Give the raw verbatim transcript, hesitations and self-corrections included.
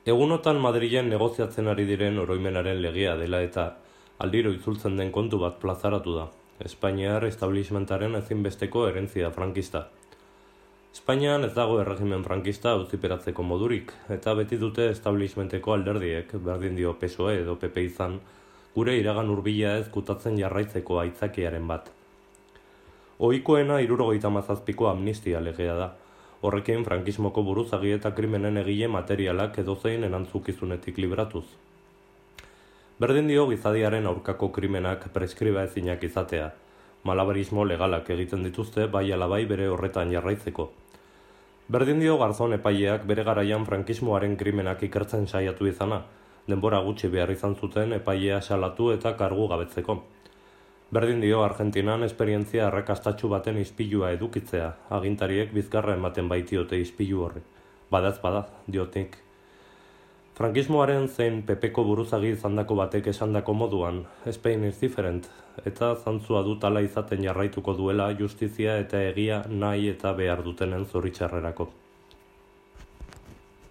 Egunotan Madrilen negoziatzen ari diren oroimenaren legea dela eta aldiro itzultzen den kontu bat plazaratu da. Espainiar establishmentaren ezinbesteko herentzia frankista. Espainian ez dago erregimen frankista auziperatzeko modurik, eta beti dute establishmenteko alderdiek, berdin dio P S O E edo P P izan, gure iragan hurbila ez kutatzen jarraitzeko aitzakiaren bat. Ohikoena hirurogeita hamazazpiko amnistia legea da. Horrekin frankismoko buruzagi eta krimenen egile materialak edozein erantzukizunetik libratuz. Berdin dio gizadiaren aurkako krimenak preskriba ezinak izatea. Malabarismo legalak egiten dituzte bai alabai bere horretan jarraitzeko. Berdin dio garzon epaileak bere garaian frankismoaren krimenak ikertzen saiatu izana, denbora gutxi behar izan zuten epailea salatu eta kargu gabetzeko. Berdin dio Argentinan esperientzia arrakastatsu baten ispilua edukitzea, agintariek bizkarra ematen baitiote ispilu horri. Badaz bada, diotik. Frankismoaren zein Pepeko buruzagi izandako batek esandako moduan, Spain is different, eta zantzua dut ala izaten jarraituko duela justizia eta egia nahi eta behar dutenen zoritxarrerako.